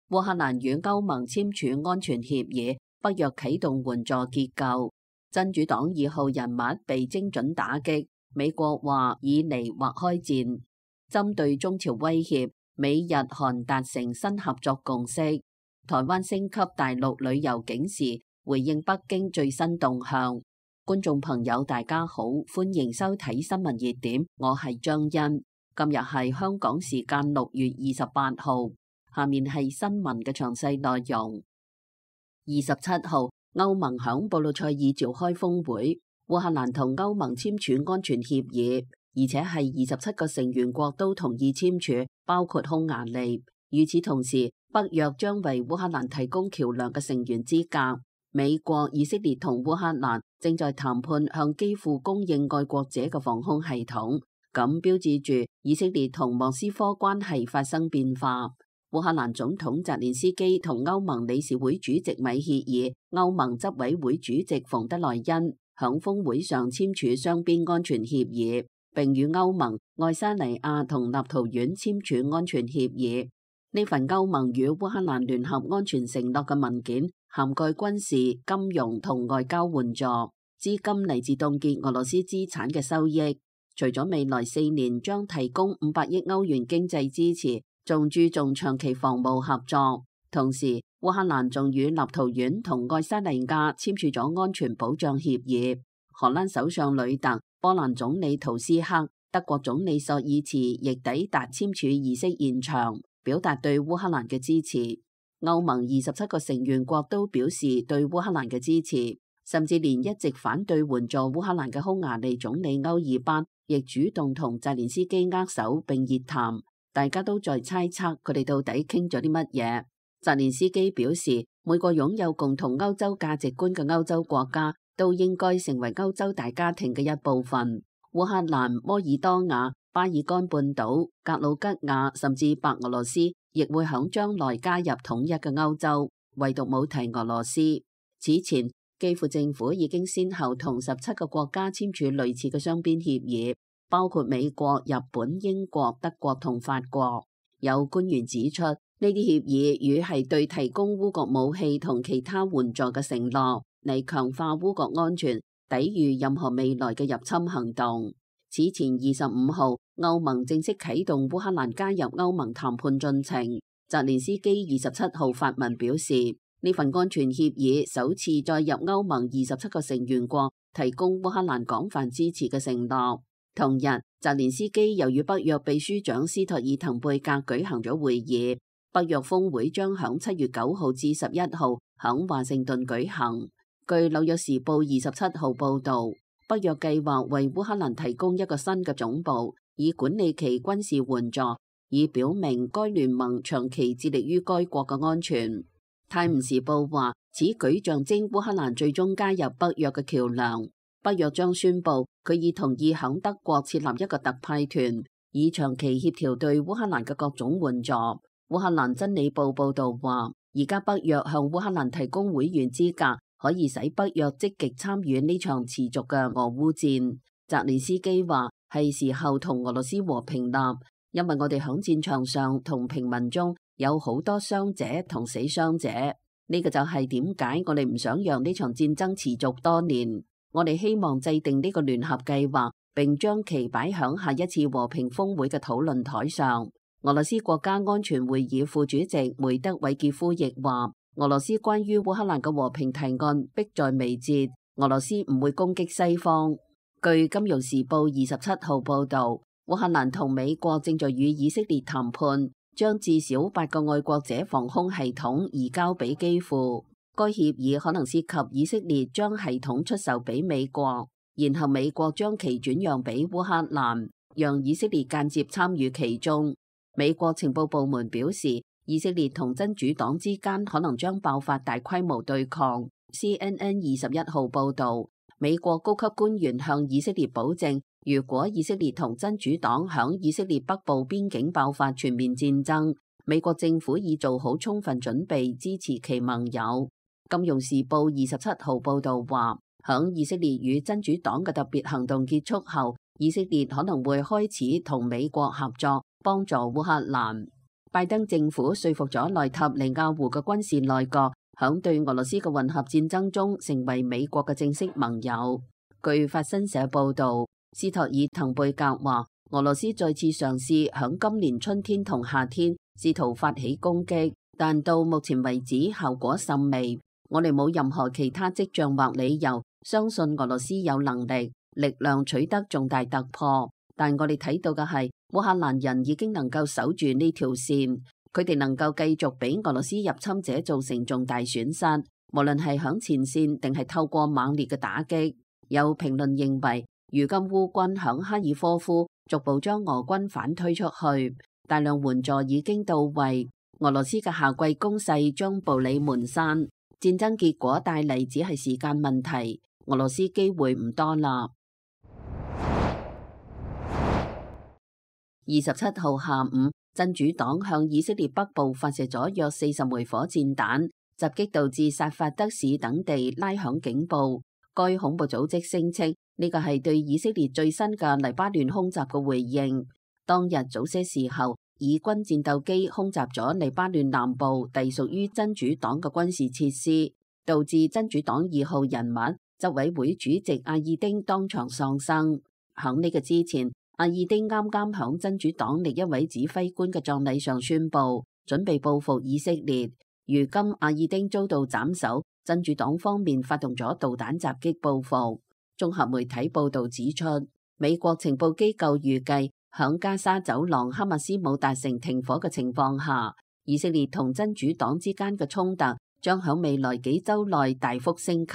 烏克蘭與歐盟簽署安全協議，北約啟動援助結構。真主黨2號人物被精準打擊，美國話以嚟或開戰。針對中朝威脅，美日韓達成新合作共識。台灣升級大陸旅遊警示，回應北京最新動向。觀眾朋友大家好，歡迎收睇新聞熱點，我係張欣。今日係香港時間6月28號，下面係新聞嘅詳細內容。27號，歐盟響布魯塞爾召開峰會，烏克蘭同歐盟簽署安全協議，而且係27個成員國都同意簽署，包括匈牙利。與此同時，北約將為烏克蘭提供橋樑嘅成員資格。美國、以色列同烏克蘭正在談判向基輔供應愛國者嘅防空系統，咁標誌住以色列同莫斯科關係發生變化。烏克蘭總統澤連斯基同歐盟理事會主席米歇爾、歐盟執委會主席馮德萊恩響峰會上簽署雙邊安全協議，並與歐盟、愛沙尼亞同立陶宛簽署安全協議。呢份歐盟與烏克蘭聯合安全承諾嘅文件，涵蓋軍事、金融同外交援助，資金嚟自凍結俄羅斯資產嘅收益。除咗未來4年將提供500億歐元經濟支持，仲注重長期防務合作。同時，烏克蘭仲與立陶宛同愛沙尼亞簽署咗安全保障協議。荷蘭首相呂特、波蘭總理圖斯克、德國總理朔爾茨亦抵達簽署儀式現場，表達對烏克蘭嘅支持。歐盟27個成員國都表示對烏克蘭嘅支持，甚至連一直反對援助烏克蘭嘅匈牙利總理歐爾班亦主動同澤連斯基握手並熱談，大家都在猜測佢哋到底傾咗啲乜嘢。澤連斯基表示，每個擁有共同歐洲價值觀嘅歐洲國家都應該成為歐洲大家庭嘅一部分。烏克蘭、摩爾多瓦、巴爾幹半島、格魯吉亞甚至白俄羅斯亦會響將來加入統一嘅歐洲，唯獨冇提俄羅斯。此前，基輔政府已經先後同17個國家簽署類似嘅雙邊協議，包括美國、日本、英國、德國同法國。有官員指出，呢啲協議與係對提供烏國武器同其他援助嘅承諾，嚟強化烏國安全，抵禦任何未來嘅入侵行動。此前25號，歐盟正式啟動烏克蘭加入歐盟談判進程。澤連斯基27號發文表示，呢份安全協議首次再入歐盟27個成員國提供烏克蘭廣泛支持嘅承諾。同日，澤連斯基又與北約秘書長斯托爾滕貝格舉行咗會議。北約峰會將響7月9號至11號響華盛頓舉行。據紐約時報27號報導，北約計劃為烏克蘭提供一個新嘅總部，以管理其軍事援助，以表明該聯盟長期致力於該國嘅安全。泰晤士報話，此舉象徵烏克蘭最終加入北約嘅橋樑。北約將宣布佢已同意響德國設立一個特派團，以長期協調對烏克蘭嘅各種援助。烏克蘭真理報報導話，而家北約向烏克蘭提供會員資格，可以使北約積極參與呢場持續嘅俄烏戰。澤連斯基話，係時候同俄羅斯和平立，因為我哋響戰場上同平民中有好多傷者同死傷者。呢個就係點解我哋唔想讓呢場戰爭持續多年。我哋希望制定呢個聯合計劃，並將其擺響下一次和平峰會嘅討論台上。俄羅斯國家安全會議副主席梅德韋傑夫亦話，俄羅斯關於烏克蘭嘅和平提案迫在眉睫，俄羅斯唔會攻擊西方。據《金融時報》27號報導，烏克蘭同美國正在與以色列談判，將至少8個愛國者防空系統移交俾基輔。該協議可能涉及以色列將系統出售俾美國，然後美國將其轉讓俾烏克蘭，讓以色列間接參與其中。美國情報部門表示，以色列同真主黨之間可能將爆發大規模對抗。CNN 21號報導，美國高級官員向以色列保證，如果以色列同真主黨響以色列北部邊境爆發全面戰爭，美國政府已做好充分準備支持其盟友。金融時報27號報導話，響以色列與真主黨嘅特別行動結束後，以色列可能會開始同美國合作，幫助烏克蘭。拜登政府說服咗內塔尼亞胡嘅軍事內閣，響對俄羅斯嘅混合戰爭中成為美國嘅正式盟友。據法新社報導，斯托爾滕貝格話，俄羅斯再次嘗試響今年春天同夏天試圖發起攻擊，但到目前為止效果甚微。我哋冇任何其他跡象或理由相信俄羅斯有能力、力量取得重大突破，但我哋睇到嘅係烏克蘭人已經能夠守住呢條線，佢哋能夠繼續俾俄羅斯入侵者造成重大損失，無論係響前線定係透過猛烈嘅打擊。有評論認為，如今烏軍響哈爾科夫逐步將俄軍反推出去，大量援助已經到位，俄羅斯嘅夏季攻勢將步履蹣跚，戰爭結果帶嚟只係時間問題，俄羅斯機會唔多啦。27號下午，真主黨向以色列北部發射咗約40枚火箭彈，襲擊導致薩法德市等地拉響警報。該恐怖組織聲稱呢個係對以色列最新嘅黎巴嫩空襲嘅回應。當日早些時候，以軍戰鬥機空襲咗黎巴嫩南部隸屬於真主黨嘅軍事設施，導致真主黨2號人物執委會主席阿爾丁當場喪生。響呢個之前，阿爾丁啱啱響真主黨另一位指揮官嘅葬禮上宣布準備報復以色列。如今阿爾丁遭到斬首，真主黨方面發動咗導彈襲擊報復。綜合媒體報道指出，美國情報機構預計響加沙走廊哈馬斯冇達成停火嘅情況下，以色列同真主黨之間嘅衝突將響未來幾周內大幅升級，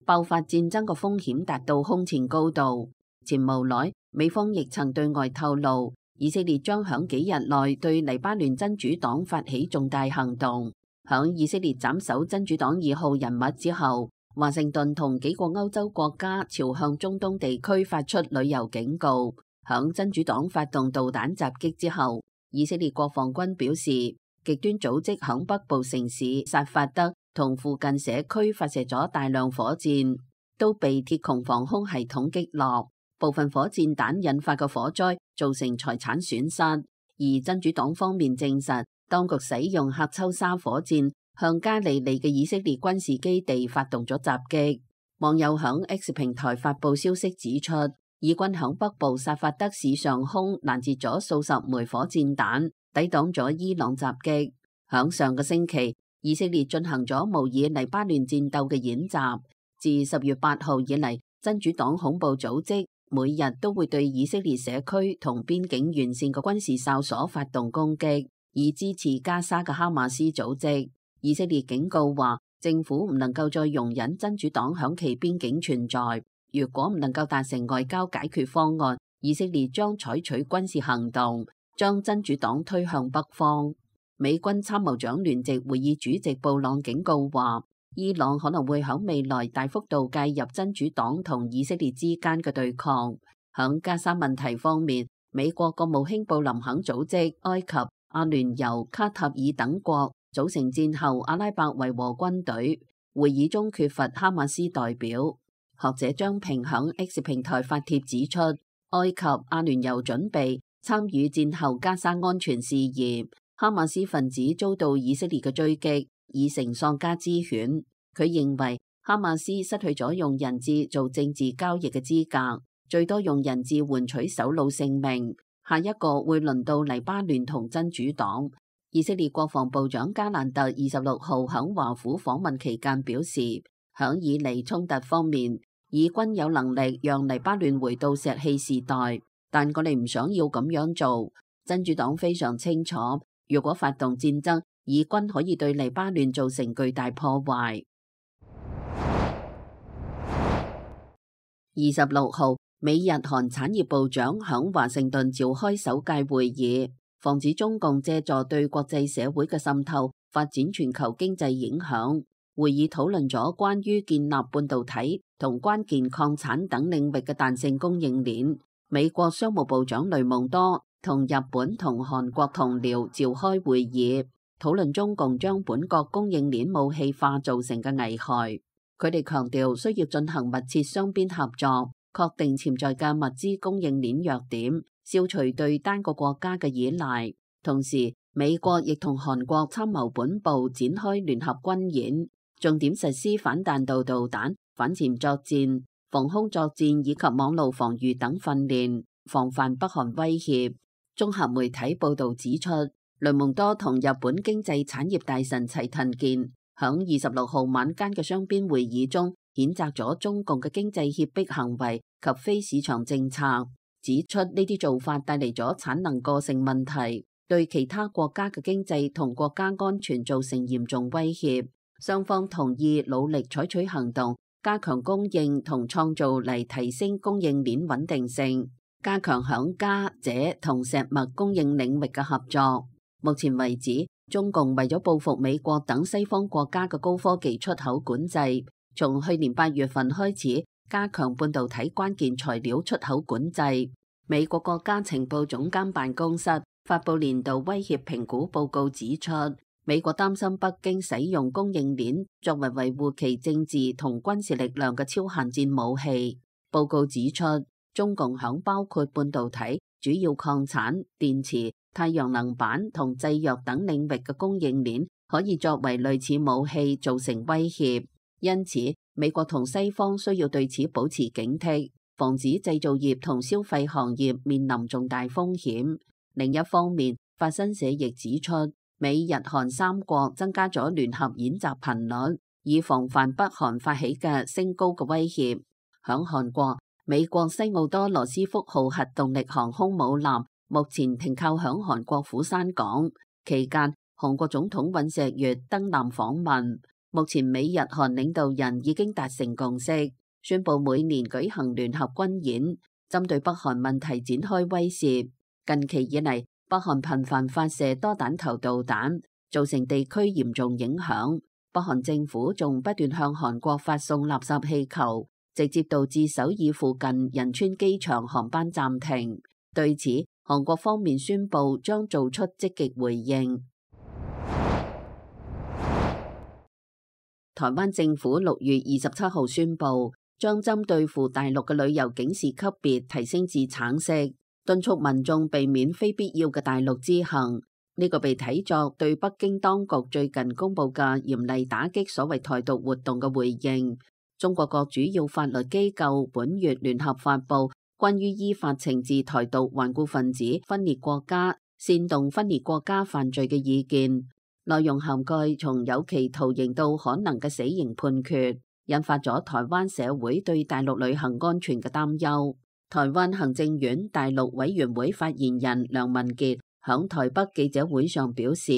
爆發戰爭嘅風險達到空前高度。前無耐，美方亦曾對外透露，以色列將響幾日內對黎巴嫩真主黨發起重大行動。響以色列斬首真主黨2號人物之後，華盛頓同幾個歐洲國家朝向中東地區發出旅遊警告。響真主黨發動導彈襲擊之後，以色列國防軍表示，極端組織響北部城市薩法德同附近社區發射咗大量火箭，都被鐵穹防空系統擊落。部分火箭彈引發嘅火災造成財產損失，而真主黨方面證實，當局使用喀秋莎火箭向加利利嘅以色列軍事基地發動咗襲擊。網友響 X 平台發布消息指出，以軍響北部薩法德市上空攔截咗數十枚火箭彈，抵擋咗伊朗襲擊。響上個星期，以色列進行咗模擬黎巴嫩戰鬥嘅演習。自10月8號以嚟，真主黨恐怖組織每日都會對以色列社區同邊境沿線嘅軍事哨所發動攻擊，以支持加沙嘅哈馬斯組織。以色列警告話，政府唔能夠再容忍真主黨響其邊境存在。如果唔能夠達成外交解決方案，以色列將採取軍事行動，將真主黨推向北方。美軍參謀長聯席會議主席布朗警告話，伊朗可能會喺未來大幅度介入真主黨同以色列之間嘅對抗。響加沙問題方面，美國國務卿布林肯組織埃及、阿聯酋、卡塔爾等國組成戰後阿拉伯維和軍隊。會議中缺乏哈馬斯代表。學者張平響 X 平台發帖指出，埃及、阿聯酋準備參與戰後加沙安全事業。哈馬斯分子遭到以色列嘅追擊，已成喪家之犬。佢認為哈馬斯失去咗用人質做政治交易嘅資格，最多用人質換取首腦性命。下一個會輪到黎巴嫩同真主黨。以色列國防部長加蘭特26號響華府訪問期間表示，響以嚟衝突方面，以軍有能力讓黎巴嫩回到石器時代，但我哋唔想要咁樣做。真主黨非常清楚，如果發動戰爭，以軍可以對黎巴嫩造成巨大破壞。26號，美日韓產業部長響華盛頓召開首屆會議，防止中共借助對國際社會嘅滲透，發展全球經濟影響。會議討論咗關於建立半導體同關鍵礦產等領域嘅彈性供應鏈。美國商務部長雷蒙多同日本同韓國同僚召開會議，討論中共將本國供應鏈武器化造成嘅危害。佢哋強調需要進行密切雙邊合作，確定潛在嘅物資供應鏈弱點，消除對單個國家嘅依賴。同時，美國亦同韓國參謀本部展開聯合軍演，重點實施反彈道導彈、反潛作戰、防空作戰以及網路防禦等訓練，防範北韓威脅。綜合媒體報導指出，雷蒙多同日本經濟產業大臣齊藤健響26號晚間嘅雙邊會議中，譴責咗中共嘅經濟脅迫行為及非市場政策，指出呢啲做法帶嚟咗產能過剩問題，對其他國家嘅經濟同國家安全造成嚴重威脅。雙方同意努力採取行動，加強供應同創造嚟提升供應鏈穩定性，加強響鎵、鍺同石墨供應領域嘅合作。目前為止，中共為咗報復美國等西方國家嘅高科技出口管制，從去年8月份開始加強半導體關鍵材料出口管制。美國國家情報總監辦公室發布年度威脅評估報告指出，美國擔心北京使用供應鏈作為維護其政治同軍事力量嘅超限戰武器。報告指出，中共響包括半導體、主要礦產、電池、太陽能板同製藥等領域嘅供應鏈可以作為類似武器造成威脅，因此美國同西方需要對此保持警惕，防止製造業同消費行業面臨重大風險。另一方面，法新社亦指出，美日韓三國增加咗聯合演習頻率，以防範北韓發起嘅升高嘅威脅。響韓國，美國西奧多羅斯福號核動力航空母艦目前停靠響韓國釜山港，期間韓國總統尹錫悅登艦訪問。目前美日韓領導人已經達成共識，宣布每年舉行聯合軍演，針對北韓問題展開威懾。近期以嚟，北韓頻繁發射多彈頭導彈，造成地區嚴重影響。北韓政府仲不斷向韓國發送垃圾氣球，直接導致首爾附近仁川機場航班暫停。對此，韓國方面宣布將做出積極回應。台灣政府6月27號宣布，將針對赴大陸嘅旅遊警示級別提升至橙色，敦促民眾避免非必要嘅大陸之行。呢個被睇作對北京當局最近公布嘅嚴厲打擊所謂台獨活動嘅回應。中國各主要法律機構本月聯合發布關於依法懲治台獨頑固分子、分裂國家、煽動分裂國家犯罪嘅意見，內容涵蓋從有期徒刑到可能嘅死刑判決，引發咗台灣社會對大陸旅行安全嘅擔憂。台灣行政院大陸委員會發言人梁文傑響台北記者會上表示，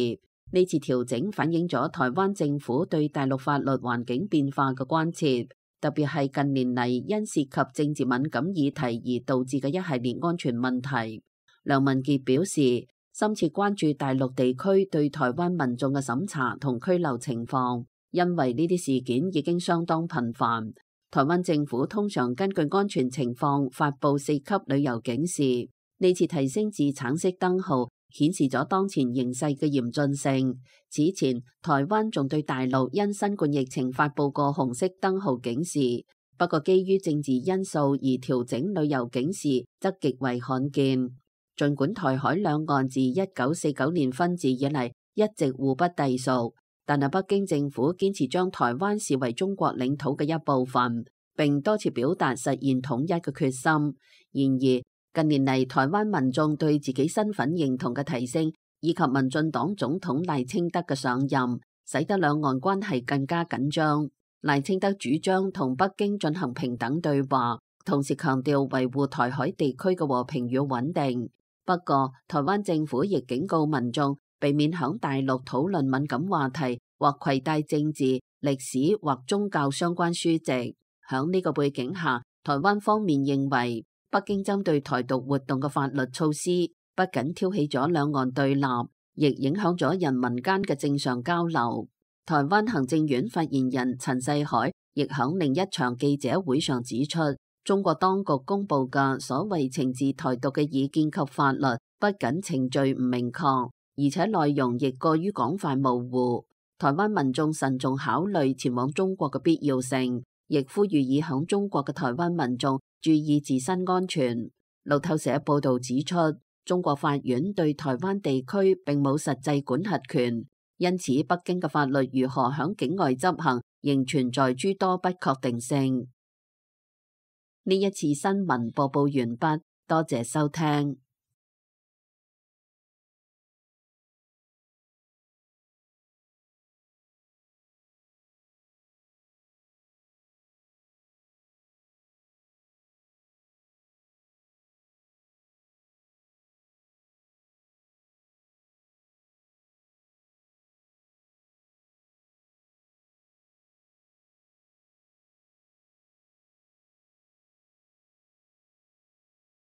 呢次調整反映咗台灣政府對大陸法律環境變化嘅關切，特別係近年嚟因涉及政治敏感議題而導致嘅一系列安全問題。梁文傑表示，深切關注大陸地區對台灣民眾嘅審查同拘留情況，因為呢啲事件已經相當頻繁。台灣政府通常根據安全情況發布4級旅遊警示，呢次提升至橙色燈號，顯示咗當前形勢嘅嚴峻性。此前，台灣仲對大陸因新冠疫情發布過紅色燈號警示，不過基於政治因素而調整旅遊警示則極為罕見。儘管台海兩岸自1949年分治以嚟一直互不隸屬，但係北京政府堅持將台灣視為中國領土嘅一部分，並多次表達實現統一嘅決心。然而，近年嚟台灣民眾對自己身份認同嘅提升，以及民進黨總統賴清德嘅上任，使得兩岸關係更加緊張。賴清德主張同北京進行平等對話，同時強調維護台海地區嘅和平與穩定。不過，台灣政府亦警告民眾避免響大陸討論敏感話題，或攜帶政治、歷史或宗教相關書籍。響呢個背景下，台灣方面認為，北京針對台獨活動嘅法律措施，不僅挑起咗兩岸對立，亦影響咗人民間嘅正常交流。台灣行政院發言人陳世海亦響另一場記者會上指出，中國當局公布嘅所謂懲治台獨嘅意見及法律，不僅程序唔明確，而且內容亦過於廣泛模糊。台灣民眾慎重考慮前往中國嘅必要性，亦呼籲已響中國嘅台灣民眾注意自身安全。路透社報道指出，中國法院對台灣地區並冇實際管轄權，因此北京嘅法律如何響境外執行，仍存在諸多不確定性。呢一次新聞播報完畢，多謝收聽。